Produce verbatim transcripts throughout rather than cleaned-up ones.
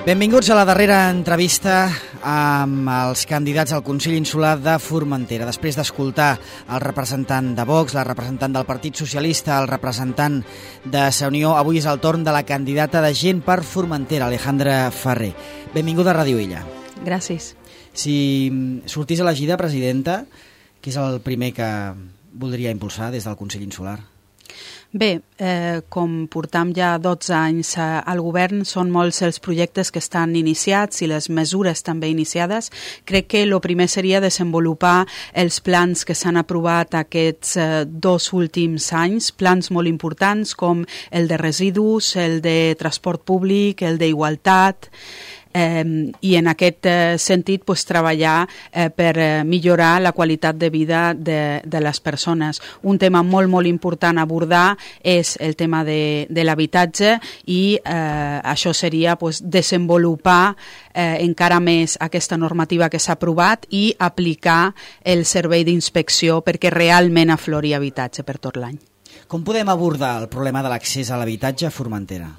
Benvinguts a la darrera entrevista amb els candidats al Consell Insular de Formentera. Després d'escoltar el representant de Vox, la representant del Partit Socialista, el representant de Sa Unió, avui és el torn de la candidata de Gent per Formentera, Alejandra Ferrer. Benvinguda a Ràdio Illa. Gràcies. Si sortís elegida presidenta, què és el primer que voldria impulsar des del Consell Insular? Bé, eh, com portam ja dotze anys eh, al govern, són molts els projectes que estan iniciats i les mesures també iniciades. Crec que el primer seria desenvolupar els plans que s'han aprovat aquests eh, dos últims anys, plans molt importants com el de residus, el de transport públic, el d'igualtat, Eh, i en aquest eh, sentit pues, treballar eh, per eh, millorar la qualitat de vida de, de les persones. Un tema molt, molt important a abordar és el tema de, de l'habitatge i eh, això seria pues, desenvolupar eh, encara més aquesta normativa que s'ha aprovat i aplicar el servei d'inspecció perquè realment aflori habitatge per tot l'any. Com podem abordar el problema de l'accés a l'habitatge a Formentera?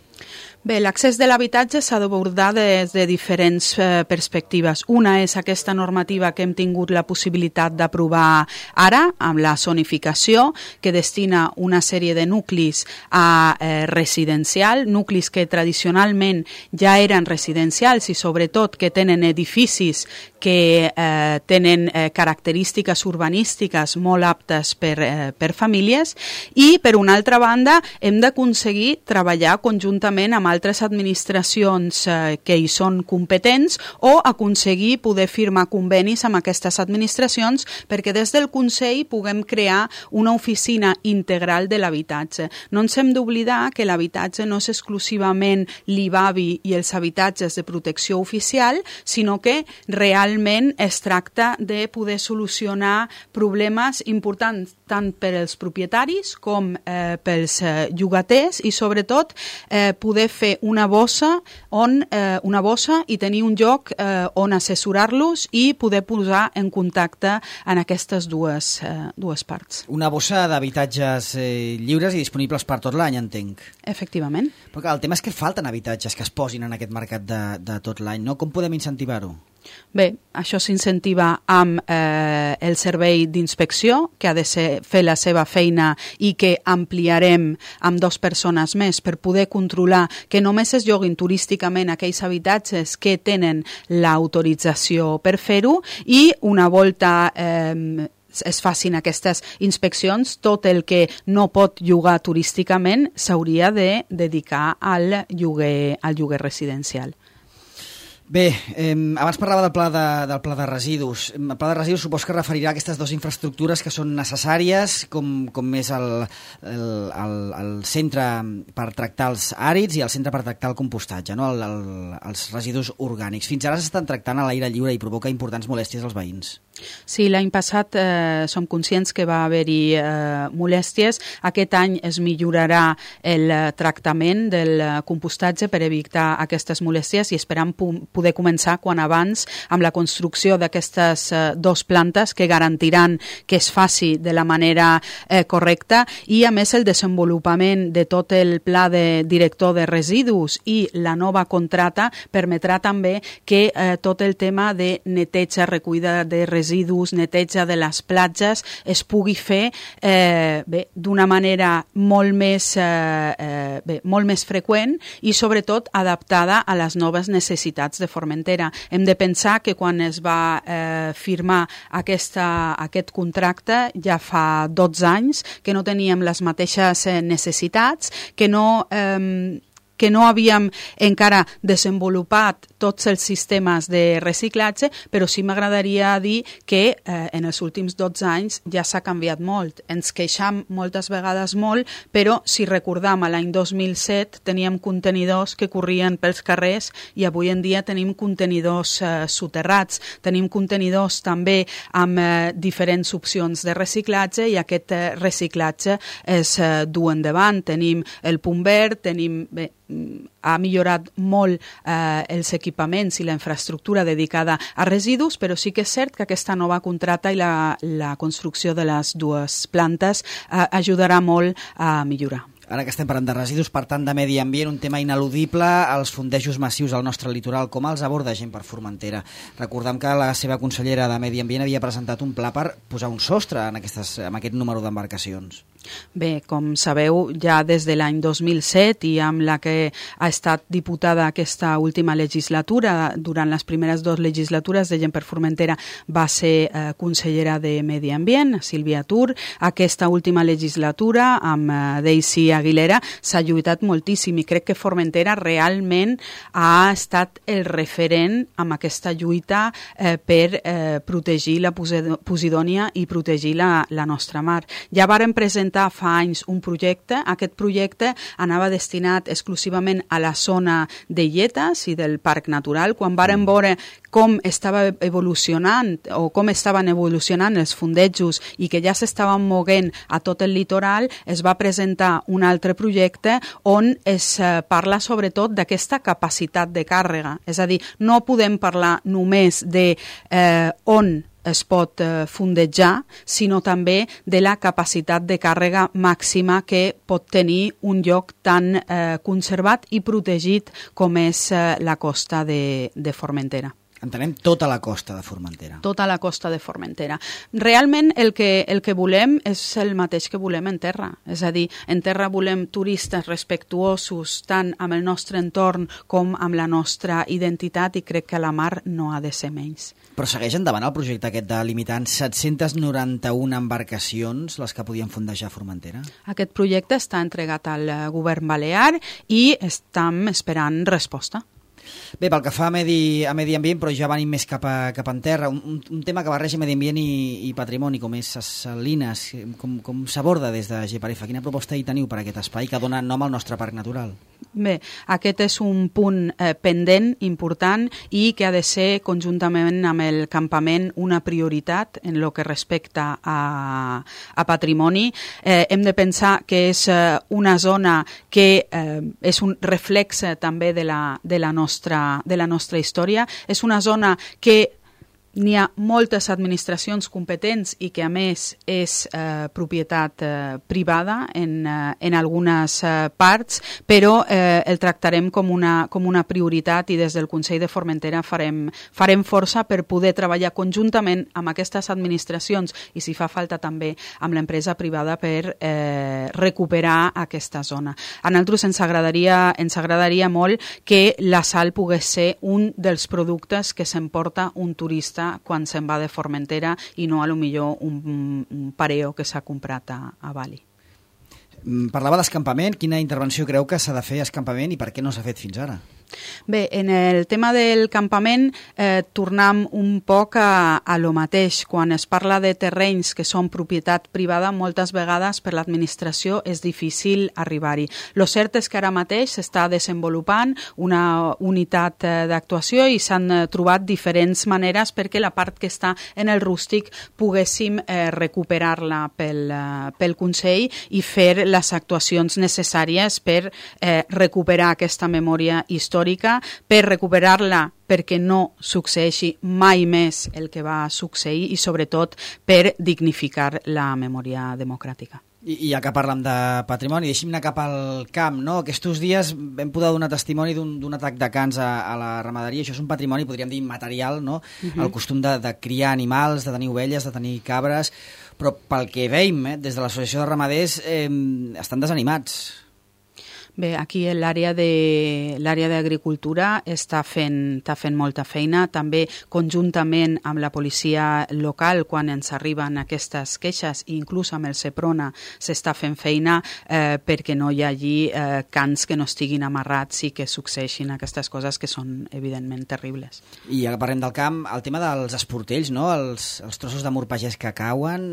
Bé, l'accés de l'habitatge s'ha d'abordar des de diferents eh, perspectives. Una és aquesta normativa que hem tingut la possibilitat d'aprovar ara, amb la zonificació, que destina una sèrie de nuclis a eh, residencial, nuclis que tradicionalment ja eren residencials i sobretot que tenen edificis que eh, tenen eh, característiques urbanístiques molt aptes per, eh, per famílies, i per una altra banda hem d'aconseguir treballar conjuntament amb altres administracions eh, que hi són competents o aconseguir poder firmar convenis amb aquestes administracions perquè des del Consell puguem crear una oficina integral de l'habitatge. No ens hem d'oblidar que l'habitatge no és exclusivament l'I B A B I i els habitatges de protecció oficial, sinó que realment es tracta de poder solucionar problemes importants tant per als propietaris com eh, pels eh, llogaters i sobretot eh, poder fer una bossa on eh, una bossa i tenir un lloc eh, on assessorar-los i poder posar en contacte en aquestes dues, eh, dues parts. Una bossa d'habitatges eh, lliures i disponibles per tot l'any, entenc. Efectivament. Però clar, el tema és que falten habitatges que es posin en aquest mercat de, de tot l'any, no? Com podem incentivar-ho? Bé, això s'incentiva amb eh, el servei d'inspecció, que ha de ser, fer la seva feina i que ampliarem amb dues persones més per poder controlar que només es lloguin turísticament aquells habitatges que tenen l'autorització per fer-ho i una volta eh, es facin aquestes inspeccions, tot el que no pot llogar turísticament s'hauria de dedicar al lloguer, al lloguer residencial. Bé, eh, abans parlava del pla de, del pla de residus. El pla de residus supos que referirà a aquestes dues infraestructures que són necessàries, com, com és el, el, el, el centre per tractar els àrids i el centre per tractar el compostatge, no? el, el, els residus orgànics. Fins ara s'estan tractant a l'aire lliure i provoca importants molèsties als veïns. Sí, l'any passat eh, som conscients que va haver-hi eh, molèsties. Aquest any es millorarà el tractament del compostatge per evitar aquestes molèsties i esperam poder començar quan abans amb la construcció d'aquestes eh, dos plantes que garantiran que es faci de la manera eh, correcta i a més el desenvolupament de tot el pla de director de residus i la nova contrata permetrà també que eh, tot el tema de neteja, recollida de residus residus, neteja de les platges es pugui fer eh, bé, d'una manera molt més, eh, eh, bé, molt més freqüent i sobretot adaptada a les noves necessitats de Formentera. Hem de pensar que quan es va eh, firmar aquesta, aquest contracte ja fa dotze anys que no teníem les mateixes eh, necessitats, que no... Eh, que no havíem encara desenvolupat tots els sistemes de reciclatge, però sí m'agradaria dir que eh, en els últims dotze anys ja s'ha canviat molt. Ens queixam moltes vegades molt, però si recordam a l'any dos mil set teníem contenidors que corrien pels carrers i avui en dia tenim contenidors eh, soterrats. Tenim contenidors també amb eh, diferents opcions de reciclatge i aquest eh, reciclatge es eh, du endavant. Tenim el punt verd, tenim... Bé, ha millorat molt eh, els equipaments i la infraestructura dedicada a residus, però sí que és cert que aquesta nova contrata i la, la construcció de les dues plantes eh, ajudarà molt a millorar. Ara que estem parlant de residus, per tant de medi ambient, un tema ineludible, els fondejos massius al nostre litoral, com els aborda gent per Formentera? Recordem que la seva consellera de Medi Ambient havia presentat un pla per posar un sostre en, aquestes, en aquest número d'embarcacions. Bé, com sabeu, ja des de l'any dos mil set i amb la que ha estat diputada aquesta última legislatura, durant les primeres dues legislatures de Gent per Formentera va ser eh, consellera de Medi Ambient, Sílvia Tur. Aquesta última legislatura, amb eh, Daisy Aguilera, s'ha lluitat moltíssim i crec que Formentera realment ha estat el referent amb aquesta lluita eh, per eh, protegir la Posidònia i protegir la, la nostra mar. Ja vàrem presentar fa anys un projecte. Aquest projecte anava destinat exclusivament a la zona de Lletes i del Parc Natural. Quan vàrem veure com estava evolucionant o com estaven evolucionant els fondejos i que ja s'estaven moguent a tot el litoral, es va presentar un altre projecte on es parla sobretot d'aquesta capacitat de càrrega. És a dir, no podem parlar només de eh, on es pot eh, fondejar, sinó també de la capacitat de càrrega màxima que pot tenir un lloc tan eh, conservat i protegit com és eh, la costa de, de Formentera. Entenem tota la costa de Formentera. Tota la costa de Formentera. Realment el que, el que volem és el mateix que volem en terra. És a dir, en terra volem turistes respectuosos tant amb el nostre entorn com amb la nostra identitat i crec que a la mar no ha de ser menys. Però segueix endavant el projecte aquest de limitar en set-centes noranta-una embarcacions les que podien fondejar a Formentera? Aquest projecte està entregat al govern balear i estem esperant resposta. Bé, pel que fa a medi, a medi ambient, però ja venim més cap, a, cap en terra, un, un tema que barreja medi ambient i, i patrimoni, com és les salines, com, com s'aborda des de G P R F? Quina proposta hi teniu per aquest espai que dona nom al nostre parc natural? Bé, aquest és un punt eh, pendent, important, i que ha de ser conjuntament amb el campament una prioritat en el que respecta a, a patrimoni. Eh, hem de pensar que és eh, una zona que eh, és un reflexe també de la, de la nostra, de la nostra història. És una zona que n'hi ha moltes administracions competents i que a més és eh, propietat eh, privada en, eh, en algunes eh, parts, però eh, el tractarem com una, com una prioritat i des del Consell de Formentera farem, farem força per poder treballar conjuntament amb aquestes administracions i si fa falta també amb l'empresa privada per eh, recuperar aquesta zona. A nosaltres ens agradaria, ens agradaria molt que la sal pogués ser un dels productes que s'emporta un turista quan se'n va de Formentera i no a lo millor un, un pareo que s'ha comprat a, a Bali. Parlava d'escampament. Quina intervenció creu que s'ha de fer a escampament i per què no s'ha fet fins ara? Bé, en el tema del campament eh, tornem un poc a, a lo mateix. Quan es parla de terrenys que són propietat privada, moltes vegades per l'administració és difícil arribar-hi. Lo cert és que ara mateix s'està desenvolupant una unitat eh, d'actuació i s'han eh, trobat diferents maneres perquè la part que està en el rústic poguéssim eh, recuperar-la pel, eh, pel Consell i fer les actuacions necessàries per eh, recuperar aquesta memòria històrica, per recuperar-la perquè no succeeixi mai més el que va succeir i sobretot per dignificar la memòria democràtica. I, i ja que parlem de patrimoni, deixem anar cap al camp, no? Aquests dies vam poder donar testimoni d'un atac de cans a, a la ramaderia. Això és un patrimoni, podríem dir, immaterial, no? Uh-huh. El costum de, de criar animals, de tenir ovelles, de tenir cabres, però pel que veiem, eh, des de l'Associació de Ramaders, eh, estan desanimats. Bé, aquí l'àrea de l'àrea d'agricultura està fent, està fent molta feina, també conjuntament amb la policia local quan ens arriben aquestes queixes i inclús amb el Seprona s'està fent feina eh, perquè no hi hagi eh, cans que no estiguin amarrats i que succeeixin aquestes coses que són evidentment terribles. I ja que parlem del camp, el tema dels esportells, no? Els, els trossos de mur pagès que cauen,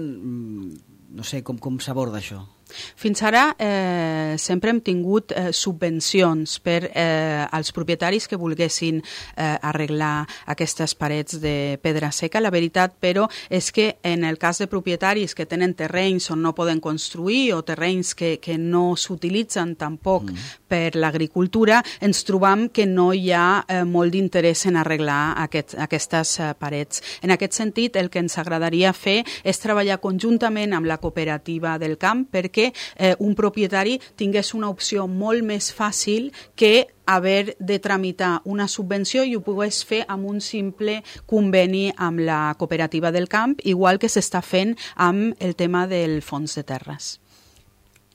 no sé, com, com s'aborda això? Fins ara eh, sempre hem tingut eh, subvencions per eh, als propietaris que volguessin eh, arreglar aquestes parets de pedra seca. La veritat, però, és que en el cas de propietaris que tenen terrenys on no poden construir o terrenys que, que no s'utilitzen tampoc mm. per l'agricultura, ens trobam que no hi ha eh, molt d'interès en arreglar aquest, aquestes eh, parets. En aquest sentit, el que ens agradaria fer és treballar conjuntament amb la cooperativa del camp perquè que eh, un propietari tingués una opció molt més fàcil que haver de tramitar una subvenció i ho pogués fer amb un simple conveni amb la cooperativa del camp, igual que s'està fent amb el tema del fons de terres.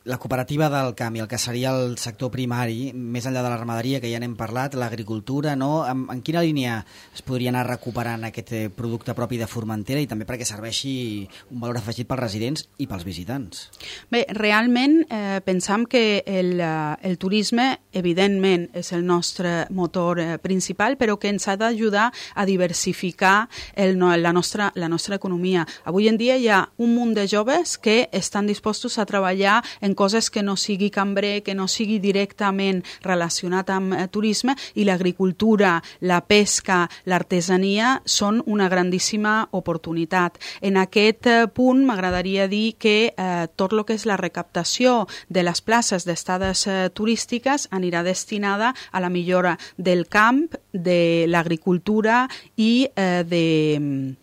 La cooperativa del camp i el que seria el sector primari, més enllà de la ramaderia, que ja n'hem parlat, l'agricultura, no? En, en quina línia es podria anar recuperant aquest producte propi de Formentera i també perquè serveixi un valor afegit pels residents i pels visitants? Bé, realment eh, pensam que el, el turisme, evidentment, és el nostre motor eh, principal, però que ens ha d'ajudar a diversificar el, la, nostra, la nostra economia. Avui en dia hi ha un munt de joves que estan dispostos a treballar en coses que no sigui cambrer, que no sigui directament relacionat amb eh, turisme, i l'agricultura, la pesca, l'artesania són una grandíssima oportunitat. En aquest eh, punt m'agradaria dir que eh, tot el que és la recaptació de les places d'estades eh, turístiques anirà destinada a la millora del camp, de l'agricultura i eh, de...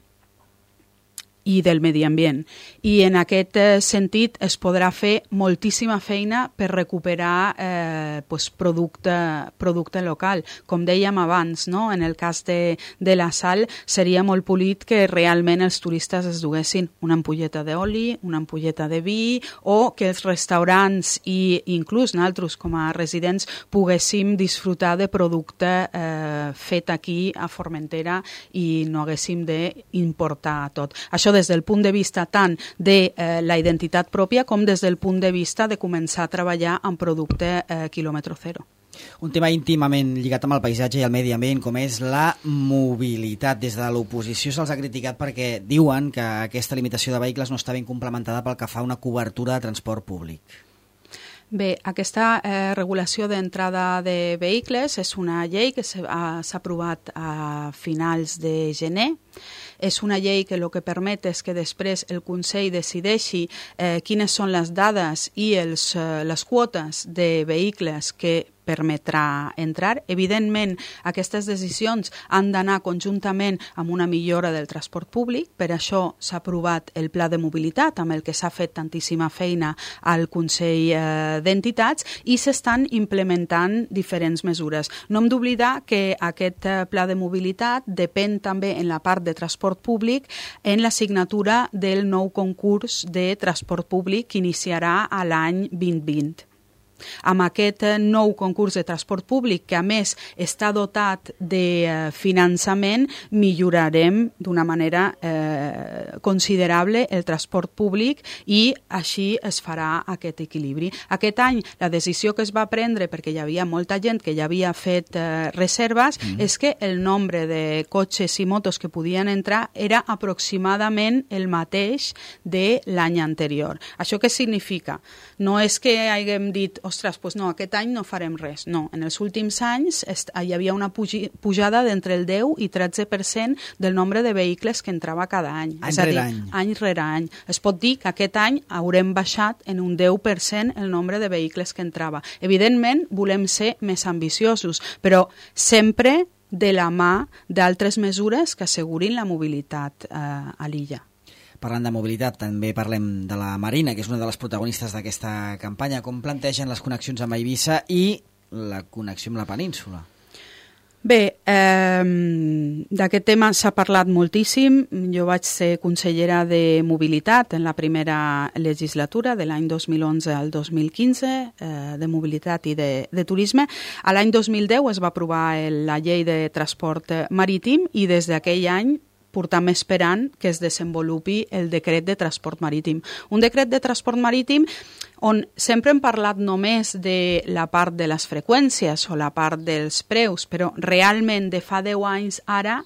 i del medi ambient. I en aquest sentit es podrà fer moltíssima feina per recuperar eh, pues, producte, producte local. Com dèiem abans, no? En el cas de, de la sal, seria molt polit que realment els turistes es duguessin una ampolleta d'oli, una ampolleta de vi, o que els restaurants i inclús nosaltres com a residents poguéssim disfrutar de producte eh, fet aquí a Formentera i no haguéssim d'importar tot. Això des del punt de vista tant de eh, la identitat pròpia com des del punt de vista de començar a treballar amb producte eh, quilòmetre zero. Un tema íntimament lligat amb el paisatge i el medi ambient, com és la mobilitat. Des de l'oposició se'ls ha criticat perquè diuen que aquesta limitació de vehicles no està ben complementada pel que fa a una cobertura de transport públic. Bé, aquesta eh, regulació d'entrada de vehicles és una llei que s'ha aprovat a finals de gener. És una llei que el que permet és que després el Consell decideixi eh, quines són les dades i els, eh, les quotes de vehicles que permetrà entrar. Evidentment, aquestes decisions han d'anar conjuntament amb una millora del transport públic. Per això s'ha aprovat el Pla de Mobilitat, amb el que s'ha fet tantíssima feina al Consell eh, d'Entitats, i s'estan implementant diferents mesures. No hem d'oblidar que aquest eh, Pla de Mobilitat depèn també en la part de transport públic en la signatura del nou concurs de transport públic que iniciarà a l'any vint vint. Amb aquest nou concurs de transport públic, que a més està dotat de finançament, millorarem d'una manera eh, considerable el transport públic i així es farà aquest equilibri. Aquest any la decisió que es va prendre, perquè hi havia molta gent que ja havia fet eh, reserves, mm. és que el nombre de cotxes i motos que podien entrar era aproximadament el mateix de l'any anterior. Això què significa? No és que haguem dit ostres, doncs no, aquest any no farem res. No, en els últims anys hi havia una pujada d'entre el deu i tretze per cent del nombre de vehicles que entrava cada any. Any és a dir, any. any rere any. Es pot dir que aquest any haurem baixat en un deu per cent el nombre de vehicles que entrava. Evidentment, volem ser més ambiciosos, però sempre de la mà d'altres mesures que assegurin la mobilitat eh, a l'illa. Parlant de mobilitat, també parlem de la Marina, que és una de les protagonistes d'aquesta campanya. Com plantegen les connexions amb Eivissa i la connexió amb la península? Bé, eh, d'aquest tema s'ha parlat moltíssim. Jo vaig ser consellera de mobilitat en la primera legislatura, de l'any dos mil onze al dos mil quinze, eh, de mobilitat i de, de turisme. A l'any dos mil deu es va aprovar el, la llei de transport marítim i des d'aquell any portam esperant que es desenvolupi el decret de transport marítim. Un decret de transport marítim on sempre hem parlat només de la part de les freqüències o la part dels preus, però realment de fa deu anys ara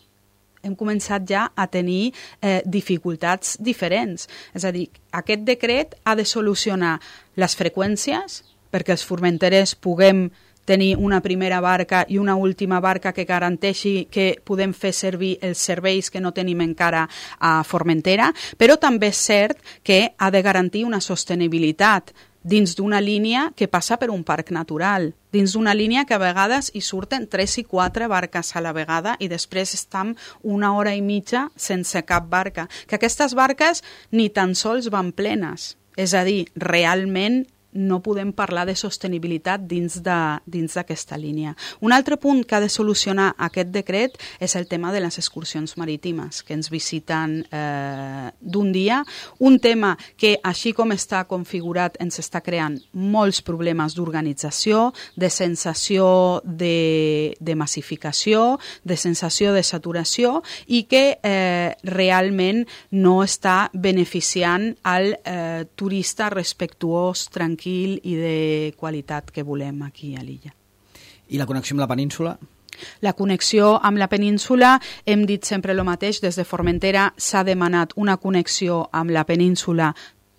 hem començat ja a tenir eh, dificultats diferents. És a dir, aquest decret ha de solucionar les freqüències perquè els formenterers puguem tenir una primera barca i una última barca que garanteixi que podem fer servir els serveis que no tenim encara a Formentera, però també és cert que ha de garantir una sostenibilitat dins d'una línia que passa per un parc natural, dins d'una línia que a vegades hi surten tres i quatre barques a la vegada i després estem una hora i mitja sense cap barca. Que aquestes barques ni tan sols van plenes. És a dir, realment no podem parlar de sostenibilitat dins d'aquesta línia. Un altre punt que ha de solucionar aquest decret és el tema de les excursions marítimes, que ens visiten eh, d'un dia. Un tema que, així com està configurat, ens està creant molts problemes d'organització, de sensació de, de massificació, de sensació de saturació, i que eh, realment no està beneficiant al eh, turista respectuós, tranquil, i de qualitat que volem aquí a l'illa. I la connexió amb la península? La connexió amb la península, hem dit sempre el mateix, des de Formentera s'ha demanat una connexió amb la península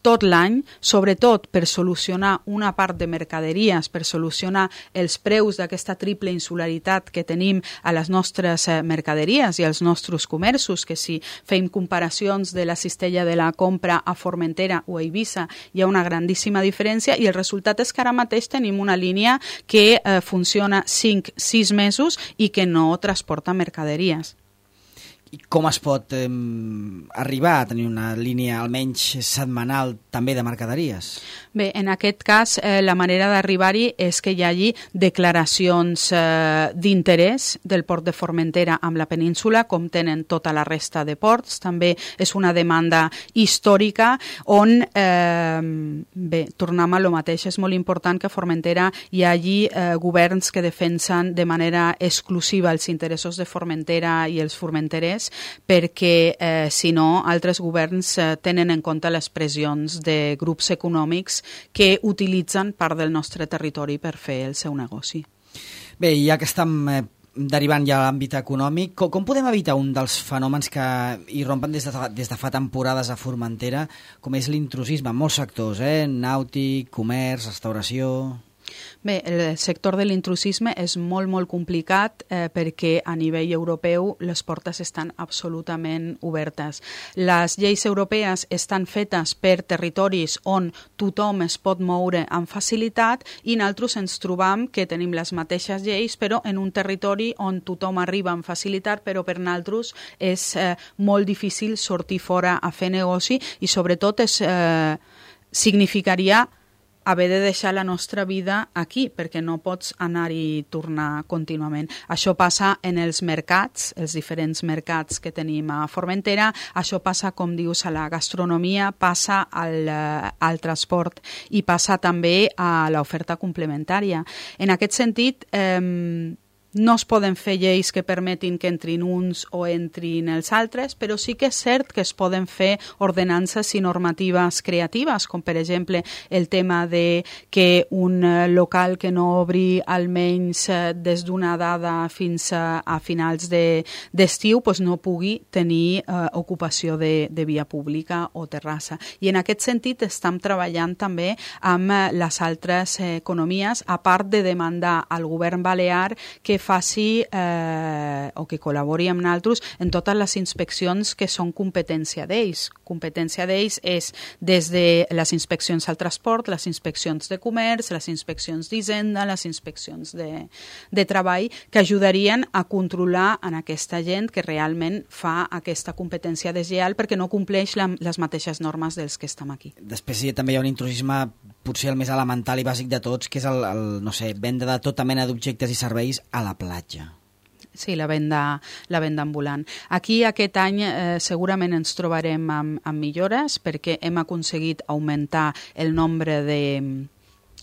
tot l'any, sobretot per solucionar una part de mercaderies, per solucionar els preus d'aquesta triple insularitat que tenim a les nostres mercaderies i als nostres comerços, que si fem comparacions de la cistella de la compra a Formentera o a Eivissa hi ha una grandíssima diferència, i el resultat és que ara mateix tenim una línia que eh, funciona cinc sis mesos i que no transporta mercaderies. I com es pot eh, arribar a tenir una línia almenys setmanal també de mercaderies? Bé, en aquest cas, eh, la manera d'arribar-hi és que hi hagi declaracions eh, d'interès del port de Formentera amb la península, com tenen tota la resta de ports. També és una demanda històrica on, eh, bé, tornem a lo mateix, és molt important que a Formentera hi hagi eh, governs que defensen de manera exclusiva els interessos de Formentera i els formenterers, perquè eh, si no altres governs eh, tenen en compte les pressions de grups econòmics que utilitzen part del nostre territori per fer el seu negoci. Bé, ja que estem eh, derivant ja a l'àmbit econòmic, com, com podem evitar un dels fenòmens que irrompen des de, des de fa temporades a Formentera, com és l'intrusisme en molts sectors, eh? Nàutic, comerç, restauració... Bé, el sector de l'intrusisme és molt, molt complicat eh, perquè a nivell europeu les portes estan absolutament obertes. Les lleis europees estan fetes per territoris on tothom es pot moure amb facilitat, i nosaltres ens trobam que tenim les mateixes lleis però en un territori on tothom arriba amb facilitat, però per nosaltres és eh, molt difícil sortir fora a fer negoci, i sobretot és, eh, significaria haver de deixar la nostra vida aquí, perquè no pots anar i tornar contínuament. Això passa en els mercats, els diferents mercats que tenim a Formentera, això passa, com dius, a la gastronomia, passa al, al transport i passa també a l'oferta complementària. En aquest sentit, eh, no es poden fer lleis que permetin que entrin uns o entrin els altres, però sí que és cert que es poden fer ordenances i normatives creatives, com per exemple el tema de que un local que no obri almenys des d'una dada fins a, a finals de, d'estiu pues no pugui tenir eh, ocupació de, de via pública o terrassa. I en aquest sentit estem treballant també amb les altres economies, a part de demandar al govern balear que faci eh, o que col·labori amb nosaltres en totes les inspeccions que són competència d'ells. Competència d'ells és des de les inspeccions al transport, les inspeccions de comerç, les inspeccions d'hisenda, les inspeccions de, de treball, que ajudarien a controlar en aquesta gent que realment fa aquesta competència deslleial perquè no compleix la, les mateixes normes dels que estem aquí. Després sí, també hi ha un intrusisme potser el més elemental i bàsic de tots, que és el, el no sé, venda de tota mena d'objectes i serveis a la platja. Sí, la venda, la venda ambulant. Aquí aquest any eh, segurament ens trobarem amb, amb millores perquè hem aconseguit augmentar el nombre de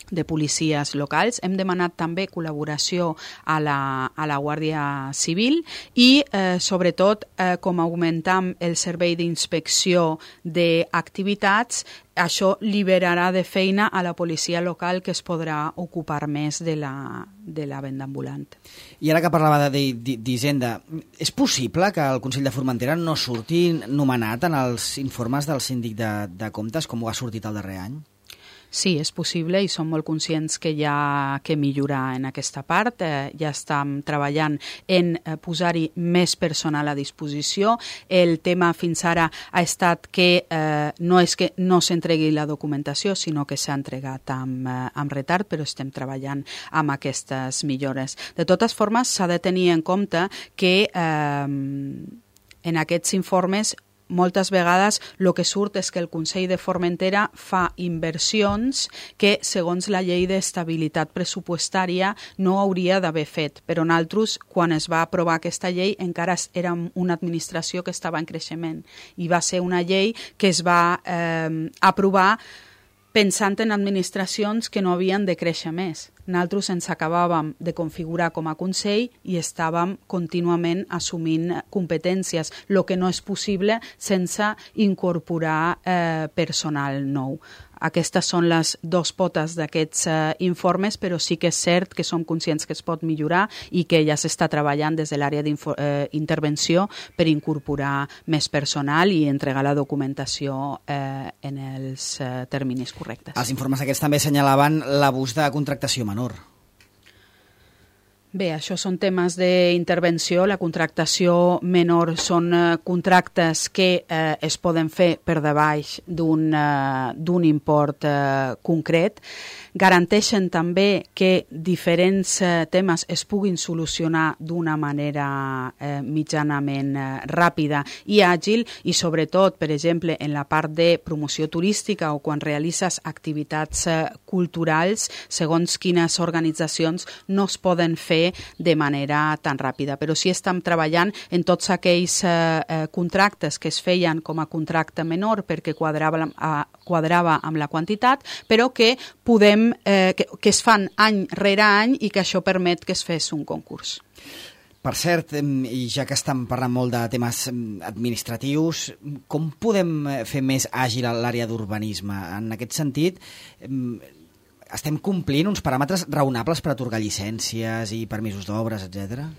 de policies locals. Hem demanat també col·laboració a la, a la Guàrdia Civil i, eh, sobretot, eh, com augmentam el servei d'inspecció d'activitats, això liberarà de feina a la policia local, que es podrà ocupar més de la, de la venda ambulant. I ara que parlava d'Hisenda, és possible que el Consell de Formentera no surti nomenat en els informes del síndic de, de comptes, com ho ha sortit el darrer any? Sí, és possible i som molt conscients que hi ha que millorar en aquesta part. Eh, ja estem treballant en eh, posar-hi més personal a disposició. El tema fins ara ha estat que eh, no és que no s'entregui la documentació, sinó que s'ha entregat amb, eh, amb retard, però estem treballant amb aquestes millores. De totes formes, s'ha de tenir en compte que eh, en aquests informes moltes vegades el que surt és que el Consell de Formentera fa inversions que, segons la llei d'estabilitat pressupostària, no hauria d'haver fet. Però nosaltres, quan es va aprovar aquesta llei, encara érem una administració que estava en creixement i va ser una llei que es va eh, aprovar pensant en administracions que no havien de créixer més. Nosaltres ens acabàvem de configurar com a Consell i estàvem contínuament assumint competències, el que no és possible sense incorporar eh, personal nou. Aquestes són les dues potes d'aquests eh, informes, però sí que és cert que som conscients que es pot millorar i que ja s'està treballant des de l'àrea d'intervenció eh, per incorporar més personal i entregar la documentació eh, en els eh, terminis correctes. Els informes aquests també assenyalaven l'abús de contractació menor. Bé, això són temes d'intervenció. La contractació menor són eh, contractes que eh, es poden fer per debaix d'un eh, d'un import eh, concret. Garanteixen també que diferents eh, temes es puguin solucionar d'una manera eh, mitjanament eh, ràpida i àgil i sobretot, per exemple, en la part de promoció turística o quan realitzes activitats eh, culturals, segons quines organitzacions no es poden fer de manera tan ràpida. Però sí estem treballant en tots aquells eh, eh, contractes que es feien com a contracte menor perquè quadrava, eh, quadrava amb la quantitat, però que podem eh, que, que es fan any rere any i que això permet que es fes un concurs. Per cert, i ja que estem parlant molt de temes administratius, com podem fer més àgil l'àrea d'urbanisme? En aquest sentit, estem complint uns paràmetres raonables per atorgar llicències i permisos d'obres, etcètera?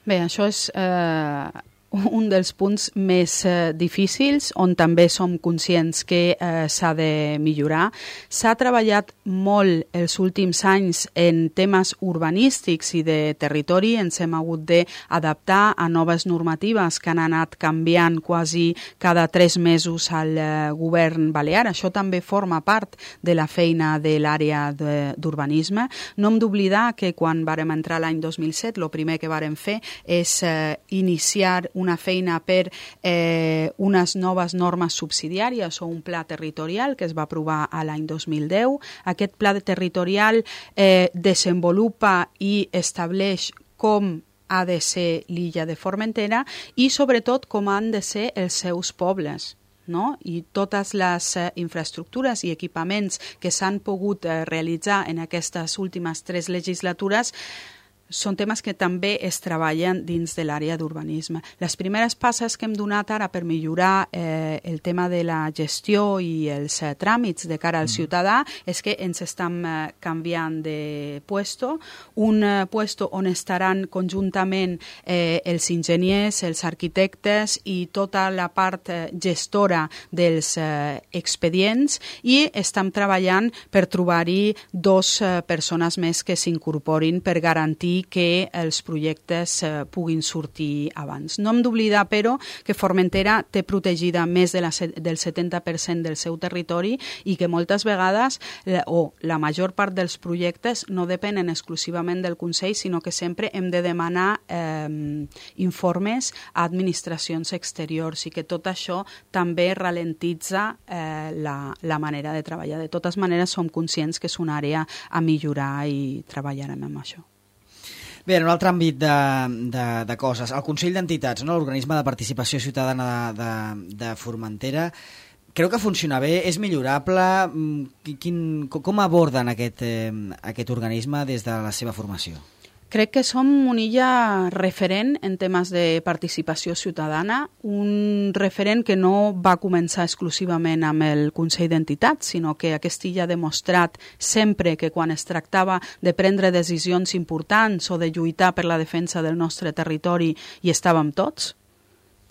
Bé, això és eh, un dels punts més eh, difícils, on també som conscients que eh, s'ha de millorar. S'ha treballat molt els últims anys en temes urbanístics i de territori. Ens hem hagut d'adaptar a noves normatives que han anat canviant quasi cada tres mesos al eh, govern balear. Això també forma part de la feina de l'àrea d'urbanisme. No hem d'oblidar que quan vàrem entrar l'any dos mil set, el primer que vàrem fer és eh, iniciar una feina per eh, unes noves normes subsidiàries o un pla territorial que es va aprovar a l'any dos mil deu. Aquest pla territorial eh, desenvolupa i estableix com ha de ser l'illa de Formentera i sobretot com han de ser els seus pobles. No? I totes les eh, infraestructures i equipaments que s'han pogut eh, realitzar en aquestes últimes tres legislatures són temes que també es treballen dins de l'àrea d'urbanisme. Les primeres passes que hem donat ara per millorar eh, el tema de la gestió i els eh, tràmits de cara al ciutadà és que ens estem eh, canviant de puesto, un eh, puesto on estaran conjuntament eh, els enginyers, els arquitectes i tota la part eh, gestora dels eh, expedients i estem treballant per trobar-hi dos eh, persones més que s'incorporin per garantir que els projectes eh, puguin sortir abans. No hem d'oblidar, però, que Formentera té protegida més de la, del setanta per cent del seu territori i que moltes vegades, la, o la major part dels projectes, no depenen exclusivament del Consell, sinó que sempre hem de demanar eh, informes a administracions exteriors i que tot això també ralentitza eh, la, la manera de treballar. De totes maneres, som conscients que és una àrea a millorar i treballarem amb això. Bé, en un altre àmbit de, de, de coses, el Consell d'Entitats, no? L'organisme de participació ciutadana de, de, de Formentera, creu que funciona bé, és millorable? Quin, com aborden aquest, eh, aquest organisme des de la seva formació? Crec que som una illa referent en temes de participació ciutadana, un referent que no va començar exclusivament amb el Consell d'Entitats, sinó que aquesta illa ha demostrat sempre que quan es tractava de prendre decisions importants o de lluitar per la defensa del nostre territori hi estàvem tots,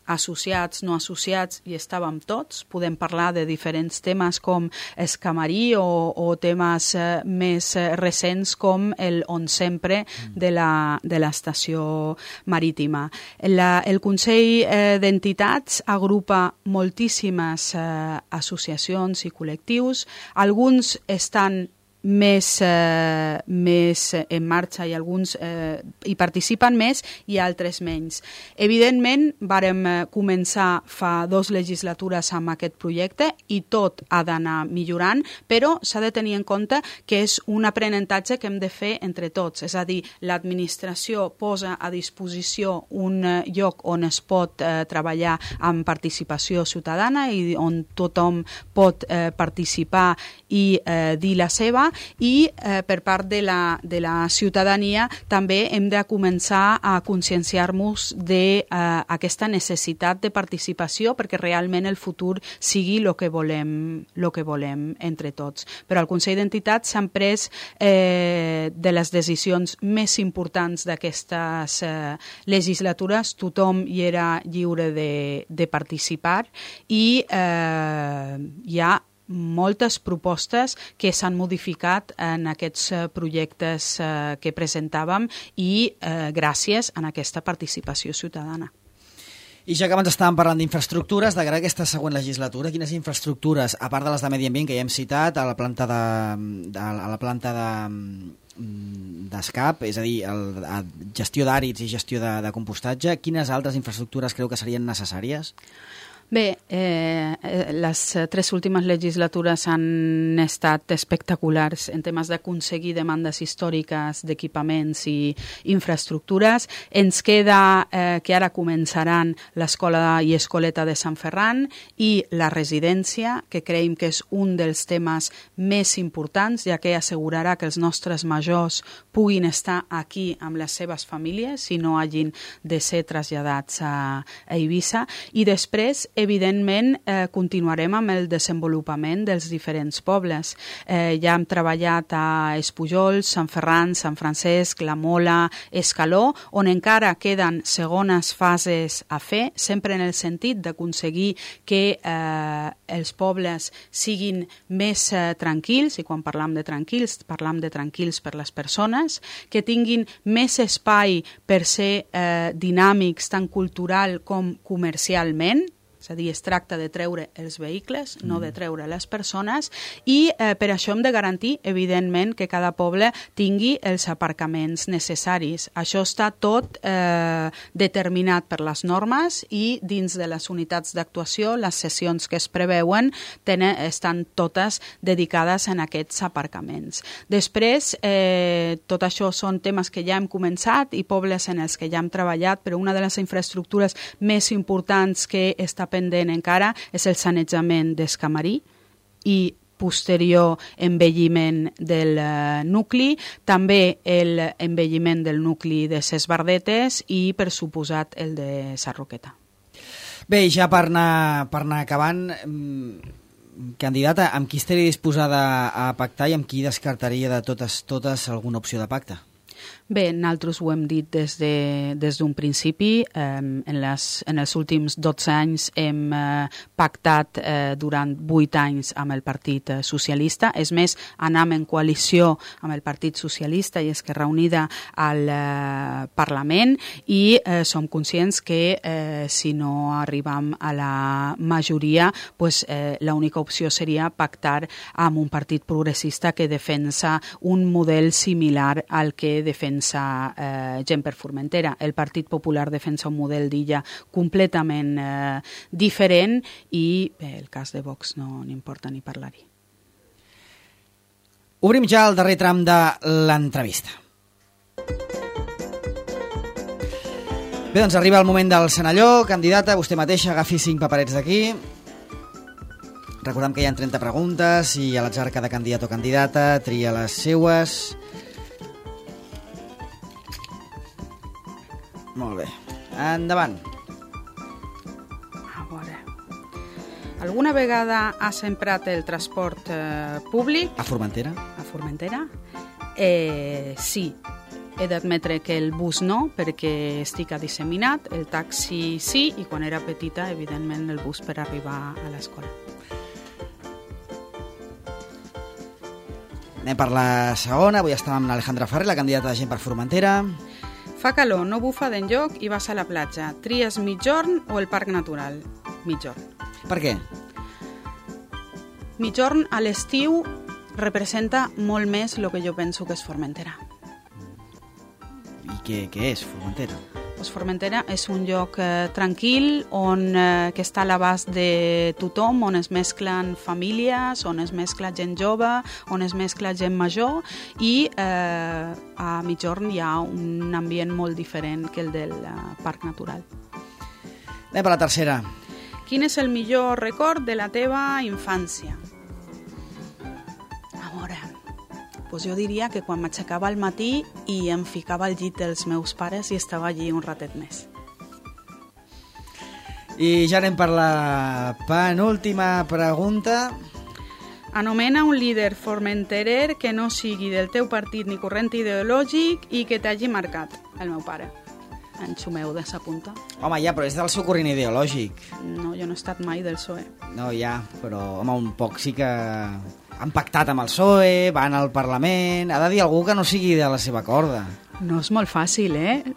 associats, no associats, i estàvem tots. Podem parlar de diferents temes com Escamarí o, o temes eh, més eh, recents com el On Sempre de la, de l'estació marítima. La, el Consell eh, d'Entitats agrupa moltíssimes eh, associacions i col·lectius. Alguns estan més, eh, més en marxa i alguns eh, hi participen més i altres menys. Evidentment, vàrem començar fa dos legislatures amb aquest projecte i tot ha d'anar millorant, però s'ha de tenir en compte que és un aprenentatge que hem de fer entre tots, és a dir, l'administració posa a disposició un lloc on es pot eh, treballar amb participació ciutadana i on tothom pot eh, participar i eh, dir la seva, i eh, per part de la, de la ciutadania també hem de començar a conscienciar-nos d'aquesta eh, necessitat de participació perquè realment el futur sigui el que volem, lo que volem entre tots. Però al Consell d'Entitats s'han pres eh, de les decisions més importants d'aquestes eh, legislatures, tothom hi era lliure de, de participar i eh, hi ha moltes propostes que s'han modificat en aquests projectes eh, que presentàvem i eh, gràcies a aquesta participació ciutadana. I ja que abans estàvem parlant d'infraestructures, de cara a aquesta següent legislatura, quines infraestructures, a part de les de medi ambient que ja hem citat, a la planta de, de, a la planta de d'escap, és a dir, el, a gestió d'àrids i gestió de, de compostatge, quines altres infraestructures creu que serien necessàries? Bé, eh, les tres últimes legislatures han estat espectaculars en temes d'aconseguir demandes històriques d'equipaments i infraestructures. Ens queda eh, que ara començaran l'escola i escoleta de Sant Ferran i la residència, que creiem que és un dels temes més importants, ja que assegurarà que els nostres majors puguin estar aquí amb les seves famílies i no hagin de ser traslladats a, a Eivissa. I després, evidentment, eh, continuarem amb el desenvolupament dels diferents pobles. Eh, ja hem treballat a Espujols, Sant Ferran, Sant Francesc, La Mola, Escaló, on encara queden segones fases a fer, sempre en el sentit d'aconseguir que eh, els pobles siguin més eh, tranquils, i quan parlam de tranquils, parlam de tranquils per les persones, que tinguin més espai per ser eh, dinàmics tant cultural com comercialment. És a dir, es tracta de treure els vehicles, no de treure les persones, i eh, per això hem de garantir, evidentment, que cada poble tingui els aparcaments necessaris. Això està tot eh, determinat per les normes i dins de les unitats d'actuació, les sessions que es preveuen tenen, estan totes dedicades en aquests aparcaments. Després, eh, tot això són temes que ja hem començat i pobles en els que ja hem treballat, però una de les infraestructures més importants que està pendent encara és el sanejament d'Escamarí i posterior envelliment del uh, nucli, també l'envelliment del nucli de Ses Bardetes i, per suposat, el de Sarroqueta. Bé, ja per anar, per anar acabant, candidata, amb qui estaria disposada a pactar i amb qui descartaria de totes, totes alguna opció de pacte? Bé, nosaltres ho hem dit des de, des d'un principi. Eh, en, les, en els últims dotze anys hem eh, pactat eh, durant vuit anys amb el Partit Socialista. És més, anam en coalició amb el Partit Socialista i Esquerra Unida al eh, Parlament i eh, som conscients que eh, si no arribam a la majoria, pues, eh, l'única opció seria pactar amb un partit progressista que defensa un model similar al que defensa Eh, gent per Formentera. El Partit Popular defensa un model d'illa completament eh, diferent i bé, el cas de Vox no n'importa ni parlar-hi. Obrim ja el darrer tram de l'entrevista. Bé, doncs arriba el moment del Senalló. Candidata, vostè mateixa agafi cinc paperets d'aquí. Recordem que hi ha trenta preguntes i a l'atzar cada candidat o candidata tria les seues. Molt bé. Endavant. A veure. Alguna vegada has emprat el transport eh, públic? A Formentera? A Formentera? Eh, sí. He d'admetre que el bus no, perquè estic a disseminat, el taxi sí, i quan era petita, evidentment, el bus per arribar a l'escola. Anem per la segona. Avui estàvem amb Alejandra Ferrer, la candidata de Gent per Formentera. Fa calor, no bufa d'enlloc i vas a la platja. Tries mitjorn o el parc natural? Mitjorn. Per què? Mitjorn a l'estiu representa molt més el que jo penso que és Formentera. I què, què és Formentera? Pues Formentera és un lloc eh, tranquil, on, eh, que està a l'abast de tothom, on es mesclen famílies, on es mescla gent jove, on es mescla gent major, i eh, a Migjorn hi ha un ambient molt diferent que el del eh, Parc Natural. Anem per la tercera. Quin és el millor record de la teva infància? A veure, pues jo diria que quan m'aixecava al matí i em ficava al llit dels meus pares i estava allí un ratet més. I ja anem per la penúltima pregunta. Anomena un líder formenterer que no sigui del teu partit ni corrent ideològic i que t'hagi marcat. El meu pare. En Xumeu de sa punta. Home, ja, però és del seu corrent ideològic. No, jo no he estat mai del P S O E. No, ja, però home, un poc sí que han pactat amb el P S O E, van al Parlament... Ha de dir algú que no sigui de la seva corda. No és molt fàcil, eh?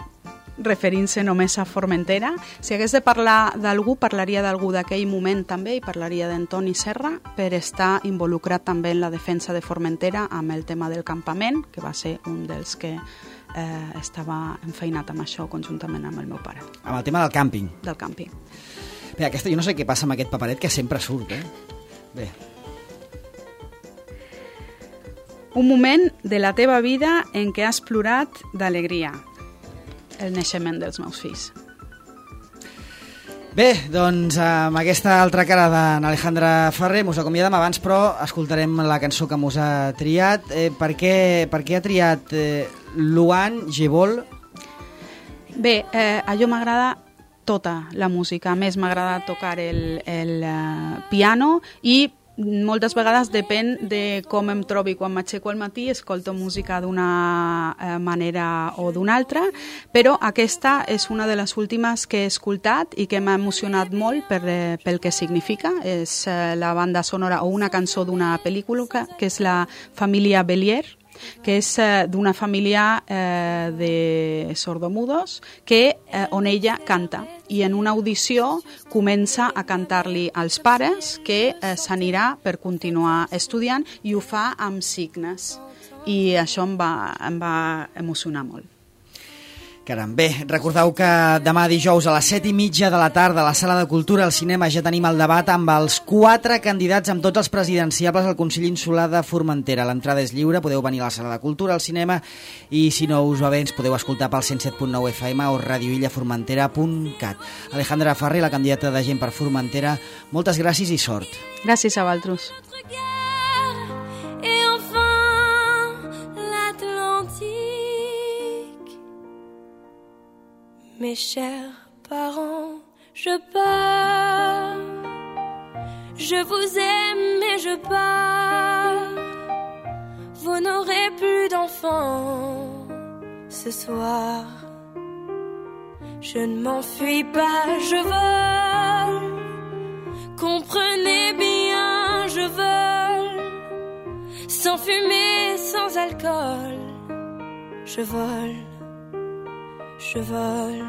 Referint-se només a Formentera. Si hagués de parlar d'algú, parlaria d'algú d'aquell moment també i parlaria d'Antoni Serra per estar involucrat també en la defensa de Formentera amb el tema del campament, que va ser un dels que eh, estava enfeinat amb això conjuntament amb el meu pare. Amb el tema del càmping. Del càmping. Bé, aquesta, jo no sé què passa amb aquest paperet que sempre surt, eh? Bé. Un moment de la teva vida en què has plorat d'alegria. El naixement dels meus fills. Bé, doncs amb aquesta altra cara d'en Alejandra Ferrer mos acomiadem abans, però escoltarem la cançó que mos ha triat. Eh, per, què, per què ha triat eh, Luan Gebol? Bé, eh, a jo m'agrada tota la música. A més, m'agrada tocar el, el uh, piano i moltes vegades depèn de com em trobi. Quan m'aixeco al matí escolto música d'una eh, manera o d'una altra, però aquesta és una de les últimes que he escoltat i que m'ha emocionat molt per, eh, pel que significa. És eh, la banda sonora o una cançó d'una pel·lícula que és la família Bélier, que és eh, d'una família eh, de sordomudos que, eh, on ella canta i en una audició comença a cantar-li als pares que eh, s'anirà per continuar estudiant i ho fa amb signes i això em va, em va emocionar molt. Caram, bé, recordeu que demà dijous a les set i mitja de la tarda a la Sala de Cultura al Cinema ja tenim el debat amb els quatre candidats, amb tots els presidenciables al Consell Insular de Formentera. L'entrada és lliure, podeu venir a la Sala de Cultura al cinema i si no us va bé ens podeu escoltar pel cent set punt nou F M o radioillaformentera punt cat. Alejandra Ferrer, la candidata de Gent per Formentera, moltes gràcies i sort. Gràcies a vosaltres. Mes chers parents, je pars. Je vous aime et je pars. Vous n'aurez plus d'enfants ce soir. Je ne m'enfuis pas, je vole. Comprenez bien, je vole. Sans fumée, sans alcool. Je vole. Je vole.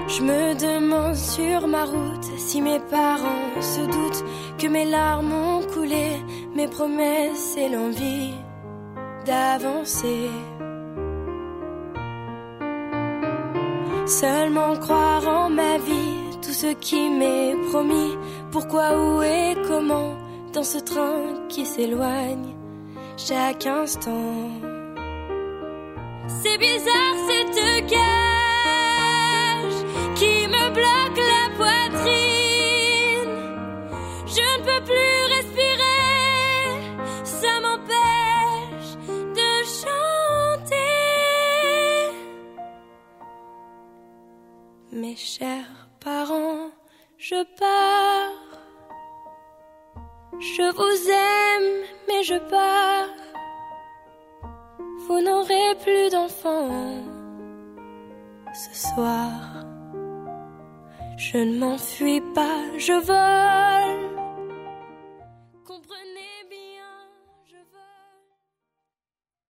Je me demande sur ma route si mes parents se doutent que mes larmes ont coulé, mes promesses et l'envie d'avancer. Seulement croire en ma vie, tout ce qui m'est promis. Pourquoi, où et comment, dans ce train qui s'éloigne chaque instant. C'est bizarre cette cage qui me bloque la poitrine. Je ne peux plus respirer, ça m'empêche de chanter. Mes chers parents, je pars. Je vous aime, mais je pars. Vous n'aurez plus d'enfants ce soir. Je ne m'enfuis pas, je vole.